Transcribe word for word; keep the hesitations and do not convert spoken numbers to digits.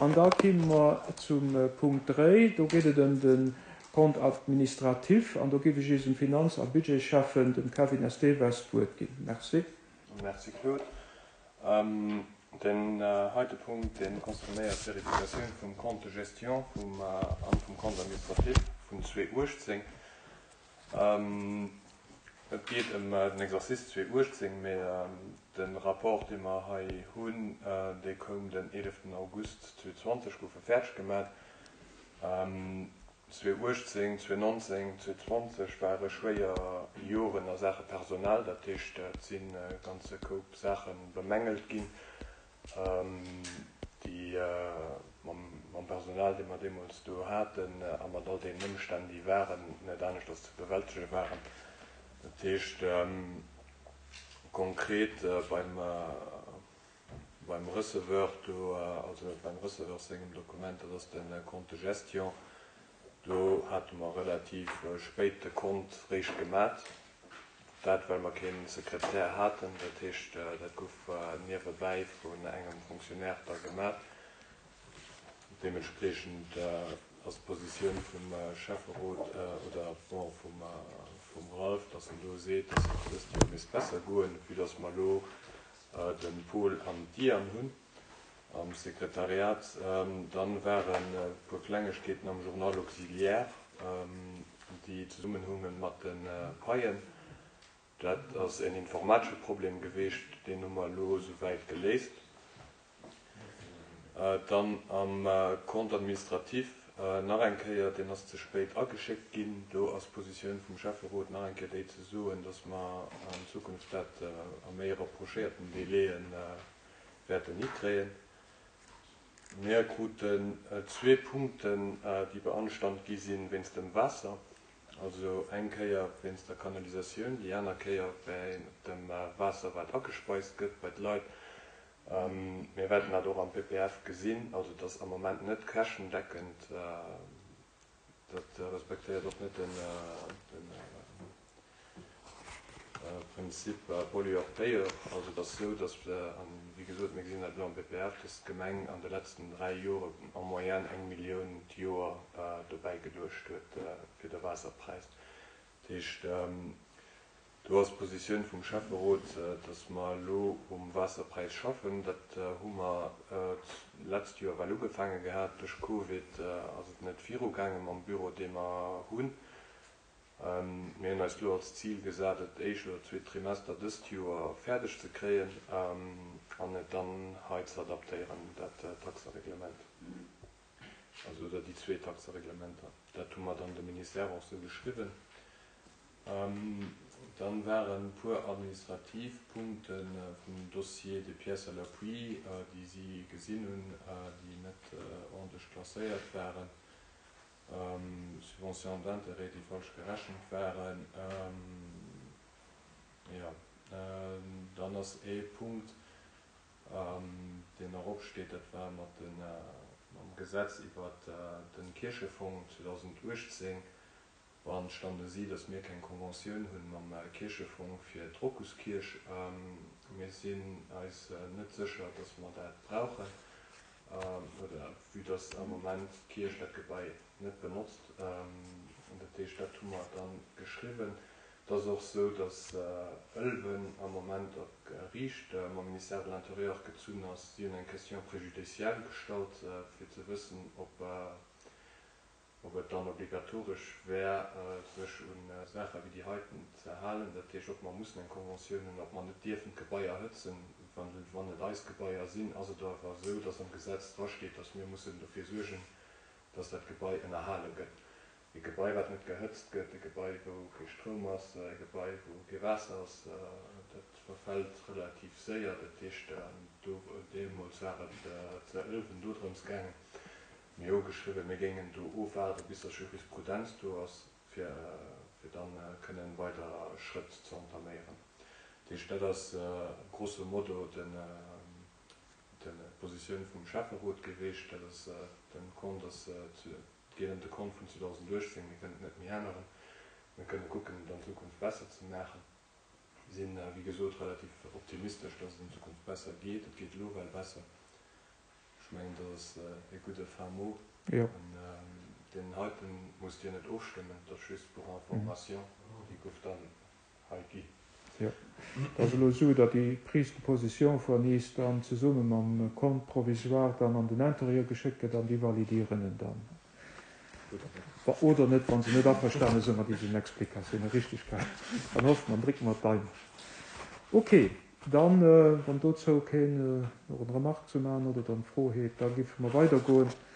An da kime mer zum Punkt dräi, do geet et ëm de Compte administratif an do géif ech eisem Finanz a Budgetschäffen, dem Kevin Esteves, d'Wuert ginn. Merci. Merci Claude. Den heite Punkt, dee concernéiert d'Verifikatioun vum Compte de gestion vum an vum Compte administratif vun zweeausenduechtzéng. Et geet ëm den Exercice zweeausenduechtzéng, mee de Rapport, dee mer hei hunn, dee koum den eeleften August zweetausendzwanzeg, gouf e fäerdeg gemaach. zweeausenduechtzéng, zweeausendnonzéng, zweetausendzwanzeg ware schwéier Joren a Saache Personal, dat heescht, et si ganze Koup Saache bemängelt ginn, déi mam Personal, dee mer deemools do haten, a mat all deenen Ëmstänn, déi waren, net aneschters ze bewältege waren. Dat heescht konkret beim beim Receveur do, also beim Receveur sengem Dokument, dat ass de Compte de gestion, do hate mer relativ spéit de Compte réischt gemat, dat well mer kee Sekretär haten. Dat heescht, dat gouf niewebäi vun engem Fonctionnaire da gemat. Deementspriechend ass d'Positioun vum Schäfferot oder bon vum vum Ralph, dass en do seet, dass et dëst Joer misst besser goen, vue dass mer elo de Paul an d'Diane hunn am Sekretariat. Dann waren e puer Klengegkeeten am Journal auxiliaire, déi zesummenhungen mat de Paien. Dat ass en informatesche Problem geweecht, deen hu mer elo souwäit geléist. Dann am Compte administratif nach eng Kéier, deen ass ze spéit ageschéckt ginn. Do ass d'Positioun vum Schäfferot nach eng Kéier déi ze soen, dass mer an Zukunft dat a méi rapprochéierten Délaië wäerten hikréien. Mir kruten zwee Punkten, déi beanstandt gi sinn wéinst dem Waasser. Also eng Kéier wéinst der Kanalisatioun, déi aner Kéier wéinst dem Waasser, wat agespeist gëtt bei d'Leit. Mir wäerten dat och am P P F gesinn, also dass am Moment net käschtendeckend, dat respektéiert och net den Prinzip Pollueur-Payeur. Also et ass esou, dass, an wéi gesot, mir gesinn dat elo am P P F, dass d'Gemeng an de letzten dräi Jore en moyenne eng Millioun d'Joer dobäi geluecht huet fir de Waasserpräis. Dat heescht, do ass d'Positioun vum Schäfferot, dass mer elo um Waasserpräis schaffen. Dat hu mer d'letzt Joer well ugefaange gehat. Duerch Covid ass et net virugaange mam Büro, dee mer hunn. Mir hunn eis elo als Zil gesat, et éischt oder zweet Trimester dëst Joer fäerdeg ze kréien an et dann hei ze adaptéieren, dat Taxereglement, also oder déi zwee Taxereglementer. Dat hu mer dann dem Ministère och sou geschriwwen. Dann waren e puer administrativ Punkte vum Dossier de pièces à l'appui, déi si gesinn hunn, déi net ordentlech klasséiert waren, Subvention d'intérêt, déi falsch gerechent waren. Jo, dann ass ee Punkt, deen nach opsteet, dat war mat de mam Gesetz iwwer de Kierchefong zweedausenduechtzéng. Beanstande si, datt mir keng Conventioun hunn mam Kierchefong fir d'Rokuskierch. Mir sinn eis net sécher, datt mer dat brauchen, oder vue datt am Moment d'Kierch dat Gebai net benotzt. Dat heescht, dat hu mer dann geschriwwen. Et ass och sou, datt Ëlwen am Moment op Geriicht mam Ministère de l'Intérieur gezunn ass. Si hunn eng Question préjudicielle gestallt, fir ze wëssen, ob ob et dann obligatoresch wär, sech un Saache wéi déi heiten ze halen. Dat heescht, ob mer mussen eng Conventioun hunn, ob mer net dierfen d'Gebaier hëtzen. Wann wann et eis Gebaier sinn, ass et awer esou, datt am Gesetz drasteet, datt mir mussen dofir suergen, datt dat Gebai ënnerhale gëtt. E Gebai, wat net gehëtzt gëtt, e Gebai, wou kee Stroum ass, e Gebai, wou kee Waasser ass, dat verfält relativ séier. Dat heescht, do deemools war et zu Ëlwen do drëms gaangen. Mir hu geschriwwen, mir géingen do ofwaarde bis datt Jurisprudenz do ass, fir fir dann kënnen weider Schrëtt ze entaméieren. Dat heescht, dat ass grosso modo den d'Positioun vum Schäfferot geweecht. Dat ass den Compte ass et geet ëm de Compte vun zweedausenduechtzéng, mir kënnen et net méi änneren. Mir kënne kucken, et an Zukunft besser ze maachen. Mir sinn, wéi gesot, relativ optimistesch, datt et an Zukunft besser geet. Et geet elo well besser. Ech Mengen, dat ass e gudde fin mot. Jo. An deen heiten musst Dir net ofstëmmen, dat ass just pour information, déi gouf dann hei gi. Jo. Et ass elo esou, datt déi Prise de position vun eis dann zesumme mam Compte provisoire dann an den Intérieur geschéckt gëtt an déi validieren en dann. Oder net, wa se net averstane sinn mat diesen Explikatiounen. Richtig, dann hoffe mer, drécke mer d'Daumen. Okay, dann, wann dozou keen nach eng Remarque ze maachen oder dann Fro huet, da géife mer weidergoen.